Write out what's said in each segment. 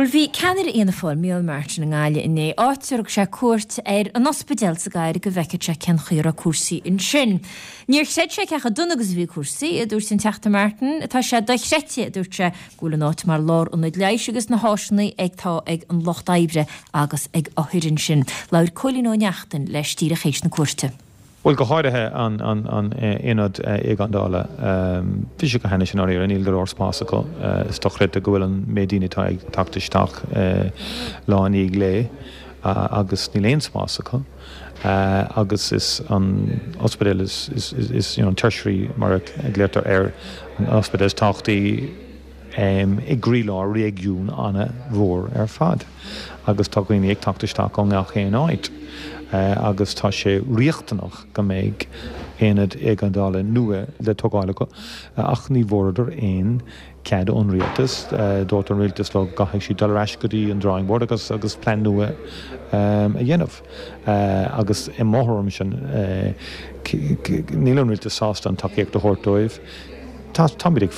Bhuel, bhí ceannaire Fhianna Fáil, Micheál Martin i nGaillimh inné, áit ar thug sé cuairt ar an ospidéal sa gcathair go bhfeicfeadh sé cén chaoi a raibh cúrsaí ansin. Níor chreid sé cé chomh dona agus a bhí cúrsaí, a dúirt an Teachta Martin. Tá sé dochreidte, a dúirt sé, go bhfuil an áit mar lárionad leighis agus na háiseanna atá ag an lucht oibre agus ag othair ansin. Labhair Cóilín Ó Neachtain leis díreach théis na cuairte. Bhuel, go háirithe an aonad éigeandála. Bhí sé go hainnis i ndáiríre, níl go leor spás acu. Is dochreidte go bhfuil an méid daoine atá ag teacht isteach lá i ndiaidh lae agus níl aon spás acu. Agus is an ospidéal is, is, you know, an tertiary mar a ghlaotar air, an ospidéal is tábhachtaí, i gcroílár réigiún an-mhór ar fad agus tá daoine ag teacht isteach ó ngach aon áit agus tá sé riachtanach go mbeidh aonad éigeandála nua le tógáil acu ach ní bhfuaireadar aon cead ón rialtas. Dúirt an rialtas leo go gcaithfidh siad dul ar ais go dtí an drawing board agus agus plean nua a dhéanamh agus i mo thuairimse níl an rialtas sásta an tacaíocht a thabhairt dóibh. Tá, táimid ag,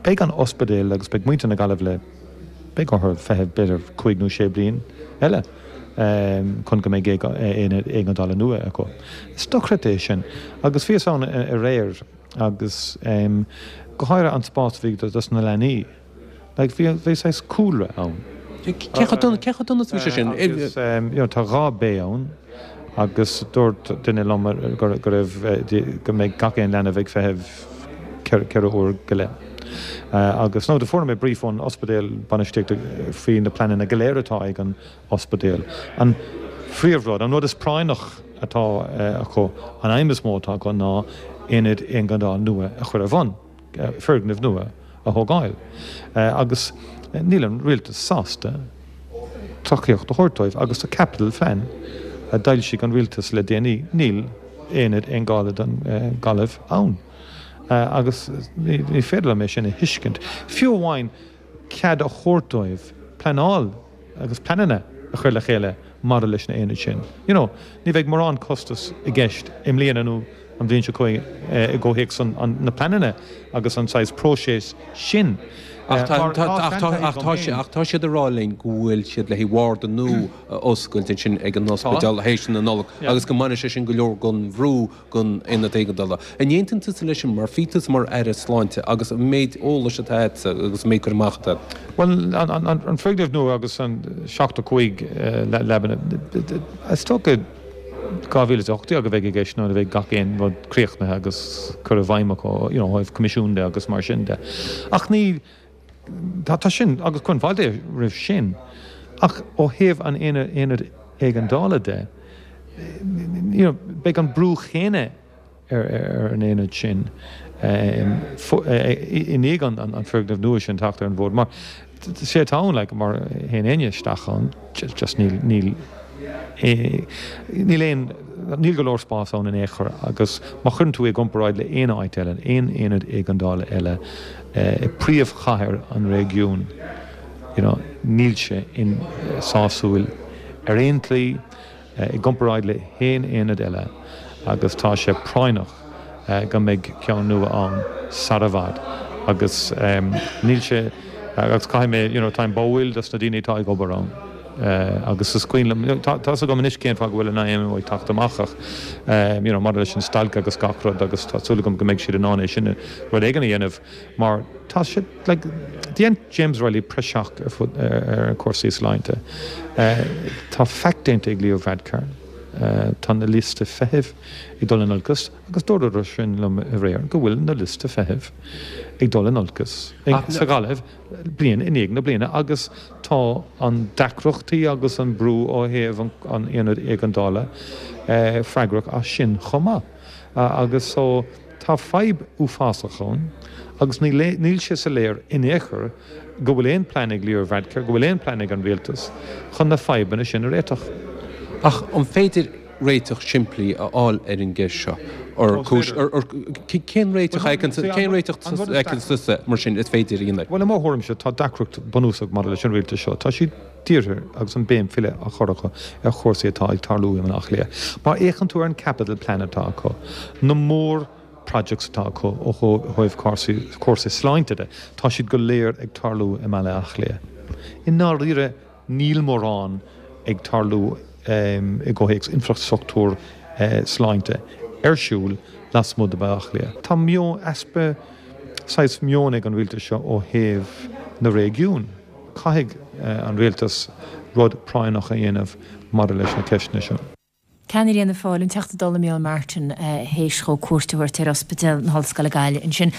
beidh an ospidéal agus beidh muintir na Gaillimhe le, beidh orthu feitheamh b'fhéidir cúig nó sé bliain eile chun go mbeidh aonad éigeandála nua acu. Is dochreidte é sin. Agus bhíos ann aréir agus go háirithe an spás a bhí dos na leanaí. Like, bhí, bhí saghas cúlra ann. Cé chomh dona, cé chomh dona is a bhí sé sin? Agus, you know, tá 2 bay ann agus dúirt duine liom go, go raibh, go mbeidh gach aon leanbh ag feitheamh 4 uair go leith. Agus, no, do fuair mé brief ón ospidéal bainistíochta faoi na pleananna go léir atá ag an ospidéal. An phríomhrud, an rud is práinneach atá acu, an aidhm is mó atá acu ná aonad éigeandála nua a chur ar bun. foirgneamh nua a thógáil agus níl an rialtas sásta tacaíocht a thabhairt dóibh agus sa Capital Phlean a d'fhoilsigh an rialtas le déanaí níl aonad éigeandála don Ghaillimh ann agus ní féidir liom é sin a thuiscint. Fiú amháin cead a thabhairt dóibh pleanáil agus pleananna a chur le chéile maidir leis na aonaid sin. You know, ní bheidh mórán costas i gceist i mbliana nó an bhliain seo chugainn i gcomhthéacs na pleananna agus an saghas próiseas sin. Ach tá siad ag rá linn go bhfuil siad le haghaidh warda nua a oscailt ansin ag an ospidéal théis na Nollag agus go mbainfidh sé sin go leor den bhrú den aonad éigeandála. An aontaíonn tusa leis sin mar bhí tusa mar Aire Sláinte agus an méid eolais atá agatsa agus an méid cur amach atá agat? Bhuel, an foirgneamh nua agus an 75 leaba, is dócha 2018 a bheidh i gceist nuair a bheidh gach aon rud críochnaithe agus cur i bhfeidhm acu, you know, ó thaobh coimisiún de agus mar sin de. Ach ní, tá, tá sin, agus cuirim fáilte roimh sin, ach ó thaobh an aonaid éigeandála de, you know, beidh an brú chéanna ar an aonad sin i ndiaidh an foirgneamh nua sin teacht ar an bhfód mar sé atá ann, like, mar théann éinne isteach ann, just níl, níl, níl aon, níl go leor spás ann in aon chor agus má chuireann tú é i gcomparáid le aon áit eile, aon aonad éigeandála eile i príomhchathair an réigiúin, you know, níl sé sásúil ar aon tslí i gcomparáid le haon aonad eile agus tá sé práinneach go mbeidh ceann nua ann sara bhfad agus níl sé agus caithfidh mé you know táim báúil dos na daoine atá ag obair ann agus is cuimhin liom tá fhios agam anois cén fáth go bhfuil an IMO ag teacht amach ach you know maidir leis an stailc agus gach rud agus tá súil agam go mbeidh siad in ann é sin rud éigin a dhéanamh mar tá sé like dhein James Reilly praiseach ar fud ar cúrsaí sláinte. Tá faic déanta ag Leo Varadkar. Tá na liosta feithimh ag dul in olcas agus dúradar sin liom aréir go bhfuil na liosta feithimh ag dul in olcas sa Ghaillimh bliain i ndiaidh na bliana agus tá an deacrachtaí agus an brú ó thaobh an aonaid éigeandála freagrach as sin chomh maith agus so Tá fadhb uafásach ann agus níl sé soiléir in aon chor go bhfuil aon plean ag Leo Varadkar, go bhfuil aon plean ag an rialtas chun na fadhbanna sin a réiteach. Ach an féidir réiteach simplí a fháil ar an gceist seo? Cén réiteach a fheiceann tusa mar sin is féidir a dhéanamh? Bhuel, i mo thuairimse, tá deacracht bunúsach maidir leis an rialtas seo. Tá siad dírithe agus an béim uile á chur acu ar chúrsaí atá ag tarlú i mBaile Átha Cliath. Má fhéachann tú ar an capital plan atá acu, na mór projects atá acu ó thaobh cúrsaí sláinte de, tá siad go léir ag tarlú i mBaile Átha Cliath. I ndáiríre níl mórán ag tarlú i gcomhthéacs infreastruchtúr sláinte ar siúl lasmuigh de Bhaile Átha Cliath. Tá meon, easpa saghas meoin ag an rialtas seo ó thaobh na réigiún. Caithfidh an rialtas rud práinneach a dhéanamh maidir leis na ceisteanna seo. Ceannaire Fhianna Fáil, an Teachta Dála Micheál Martin, théis dhó cuairt a thabhairt ar Ospidéal na hOllscoile Gaillimh ansin.